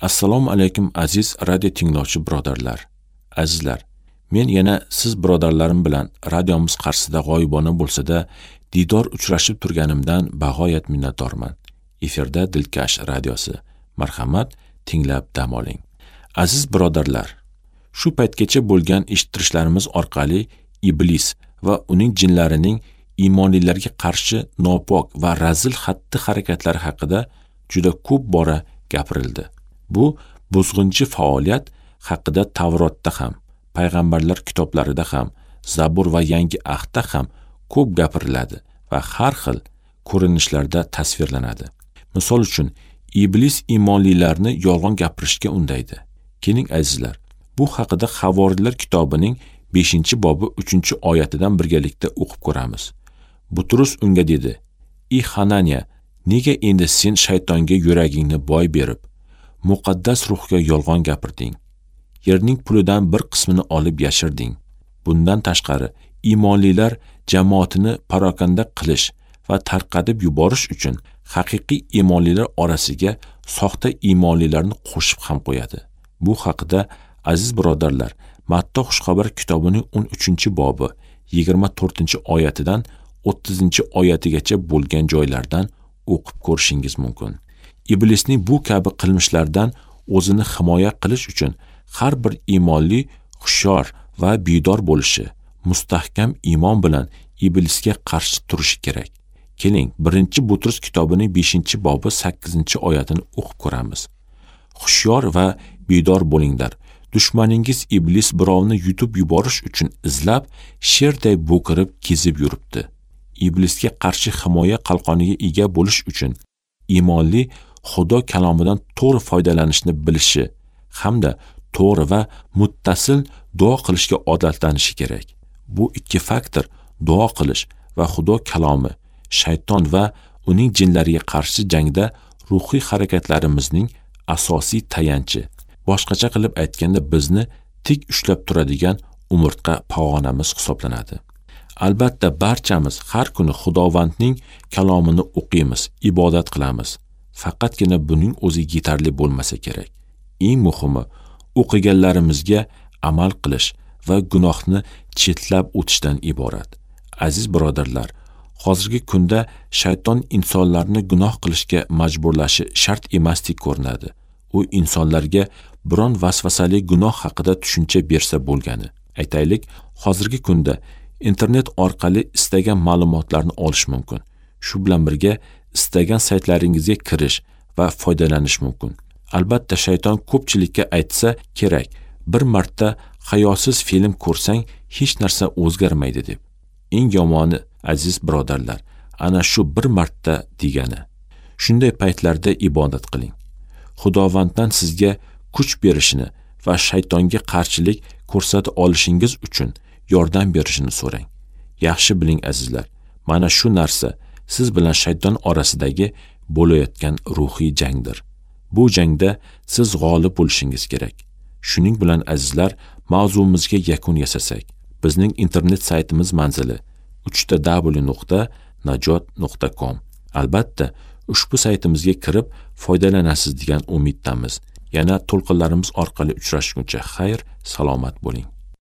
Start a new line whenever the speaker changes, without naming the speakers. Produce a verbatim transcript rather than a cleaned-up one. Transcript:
Assalomu alaykum aziz radio tinglovchi birodarlar. Azizlar, men yana siz birodarlarim bilan radiomiz qarshisida g'oyibona bo'lsa-da diydor uchrashib turganimdan bag'oyat minnatdorman. Efirda Dilkash radiosi. Marhamat, tinglab dam oling. Aziz birodarlar, shu paytgacha bo'lgan eshittirishlarimiz orqali iblis va uning jinlarining iymonlilarga qarshi nopok va razil xatti-harakatlari haqida juda ko'p bora gapirildi. Bu buzg'unchi faoliyat haqida Tavrotda ham, payg'ambarlar kitoblarida ham, Zabur va Yangi Ahdda ham ko'p gapiriladi va har xil ko'rinishlarda tasvirlanadi. Misol uchun, iblis iymonlilarni yolg'on gapirishga undaydi. Keling azizlar, bu haqida Havoriylar kitobining beshinchi bobi uchinchi oyatidan birgalikda o'qib ko'ramiz. Butrus unga dedi: "Ey Hananiya, nega endi sen shaytonga yuragingni boy berib, muqaddas ruhga yolg'on gapirding? Yerning pulidan bir qismini olib yashirding. Bundan tashqari, iymonlilar jamoatini parokanda qilish va tarqatib yuborish uchun haqiqiy iymonlilar orasiga soxta iymonlilarni qo'shib ham qo'yadi." Bu haqida aziz birodarlar, Matta Xushxabar kitobining o'n uchinchi bobi yigirma to'rtinchi oyatidan o'ttizinchi oyatigacha bo'lgan joylardan o'qib ko'rishingiz mumkin. Iblisning bu kabi qilmishlardan o'zini himoya qilish uchun har bir iymonli hushyor va bedor bo'lishi, mustahkam iymon bilan iblisga qarshi turishi kerak. Keling, birinchi Butrus kitobining beshinchi bobi sakkizinchi oyatini o'qib ko'ramiz. Hushyor va bedor bo'linglar. Dushmaningiz iblis birovni yutib yuborish uchun izlab, sherday bo'kirib kezib yuribdi. Iblisga qarshi himoya qalqoniga ega bo'lish uchun iymonli Xudo kalomidan to'g'ri foydalanishni bilishi hamda to'g'ri va muttasil duo qilishga odatlanishi kerak. Bu ikki faktor, duo qilish va Xudo kalomi, shayton va uning jinlariga qarshi jangda ruhiy harakatlarimizning asosiy tayanchi. Boshqacha qilib aytganda, bizni tik ushlab turadigan umurtqa pog'onamiz hisoblanadi. Albatta, barchamiz har kuni Xudovandning kalomini o'qiymiz, ibodat qilamiz. Faqatgina buning o'zi yetarli bo'lmasa kerak. Eng muhimi, o'qiganlarimizga amal qilish va gunohni chetlab o'tishdan iborat. Aziz birodarlar, hozirgi kunda shayton insonlarni gunoh qilishga majburlashi shart emasdek ko'rinadi. U insonlarga biron vasvasali gunoh haqida tushuncha bersa bo'lgani. Aytaylik, hozirgi kunda internet orqali istagan ma'lumotlarni olish mumkin. Shu bilan birga istagan saytlaringizga kirish va foydalanish mumkin. Albatta, shayton ko'pchilikka aytsa kerak, bir marta hayosiz film ko'rsang hech narsa o'zgarmaydi deb. Eng yomoni, aziz birodarlar, ana shu bir marta degani. Shunday paytlarda ibodat qiling. Xudovanddan sizga kuch berishini va shaytonga qarshilik ko'rsata olishingiz uchun yordam berishini so'rang. Yaxshi biling azizlar, mana shu narsa siz bilan shayton orasidagi bo'layotgan ruhiy jangdir. Bu jangda siz g'olib bo'lishingiz kerak. Shuning bilan azizlar, mavzumizga yakun yasasak, bizning internet saytimiz manzili uch ta w nuqta najot nuqta com. Albatta, ushbu saytimizga kirib foydalanasiz degan umiddamiz. Yana to'lqinlarimiz orqali uchrashguncha xayr, salomat bo'ling.